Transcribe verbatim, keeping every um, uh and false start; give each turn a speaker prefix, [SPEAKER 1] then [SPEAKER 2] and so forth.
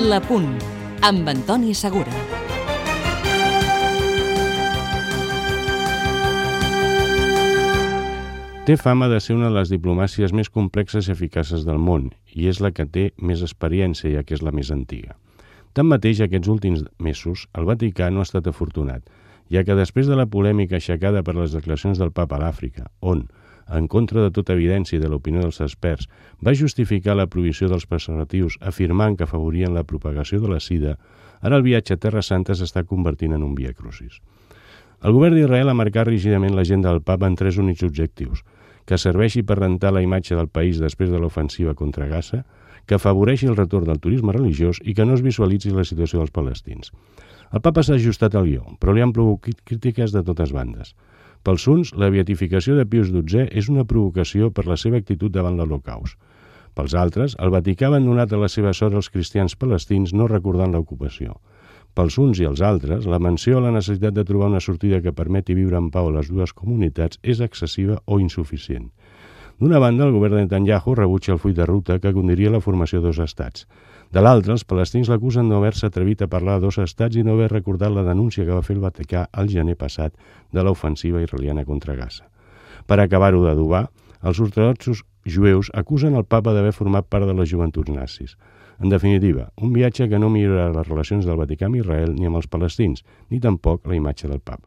[SPEAKER 1] La Punt, amb Antoni Segura.
[SPEAKER 2] Té fama de ser una de les diplomàcies més complexes i eficaces del món, i és la que té més experiència, ja que és la més antiga. Tanmateix, aquests últims mesos, el Vaticà no ha estat afortunat, ja que després de la polèmica aixecada per les declaracions del Papa a l'Àfrica, on, en contra de tota evidència i de l'opinió dels experts, va justificar la prohibició dels preservatius afirmant que afavorien la propagació de la sida, ara el viatge a Terra Santa s'està convertint en un via crucis. El govern d'Israel ha marcat rígidament l'agenda del Papa en tres únics objectius: que serveixi per rentar la imatge del país després de l'ofensiva contra Gaza, que afavoreixi el retorn del turisme religiós i que no es visualitzi la situació dels palestins. El Papa s'ha ajustat al guió, però li han provocat crítiques de totes bandes. Pels uns, la beatificació de Pius dotzè és una provocació per la seva actitud davant l'Holocaust. Pels altres, el Vaticà ha abandonat a la seva sort els cristians palestins no recordant l'ocupació. Pels uns i els altres, la menció a la necessitat de trobar una sortida que permeti viure en pau a les dues comunitats és excessiva o insuficient. D'una banda, el govern de Netanyahu rebutja el full de ruta que conduiria a la formació de dos estats. De l'altra, els palestins l'acusen no haver-se atrevit a parlar de dos estats i no haver recordat la denúncia que va fer el Vaticà al gener passat de l'ofensiva israeliana contra Gaza. Per acabar-ho d'adobar, els ortodoxos jueus acusen el Papa d'haver format part de les joventuts nazis. En definitiva, un viatge que no millorarà les relacions del Vaticà amb Israel ni amb els palestins, ni tampoc la imatge del Papa.